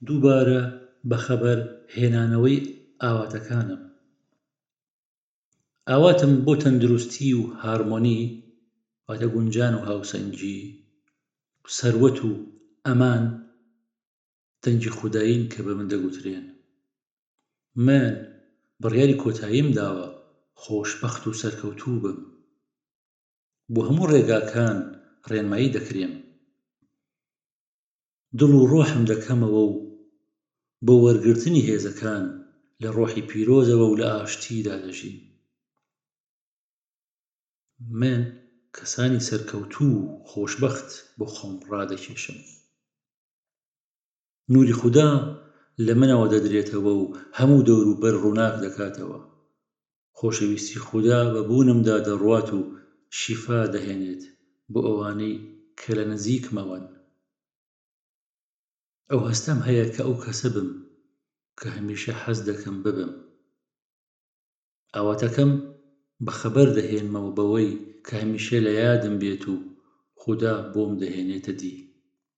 دووبارە بەخەبەر هێنانەوەی ئاواتەکانم. ئاواتم بۆ تەندروستی و هارمۆنی، واتە گونجان و هاوسەنگی، سەروەت و ئەمان دەنگی خودایین کە بە من دەگوترێن. من بڕیاری کۆتاییم داوە خۆشبەخت و سەرکەوتوو بم. بۆ هەموو ڕێگاکان ڕێنمایی دەکرێم. دڵ و ڕۆحم دەکەمەوە و بۆ وەرگرتنی هێزەکان لە ڕۆحی پیرۆزەوە و لە ئاشتیدا دەژیم. من کەسانی سەرکەوتوو و خۆشبەخت بۆ خۆم ڕادەکێشم. نوری خودا لە منەوە دەدرێتەوە و هەموو دەوروبەر ڕووناک دەکاتەوە. خۆشەویستی خودا بە بوونمدا دەڕوات و شیفا دەهێنێت بۆ ئەوانەی کە لە نزیکمەوەن. ئەو هەستەم هەیە کە ئەو کەسە بم کە هەمیشە حەز دەکەم ببم. ئاواتەکەم بەخەبەر دەهێنمەوە بەوەی کە هەمیشە لە یادم بێت و خودا بۆم دەهێنێتە دی.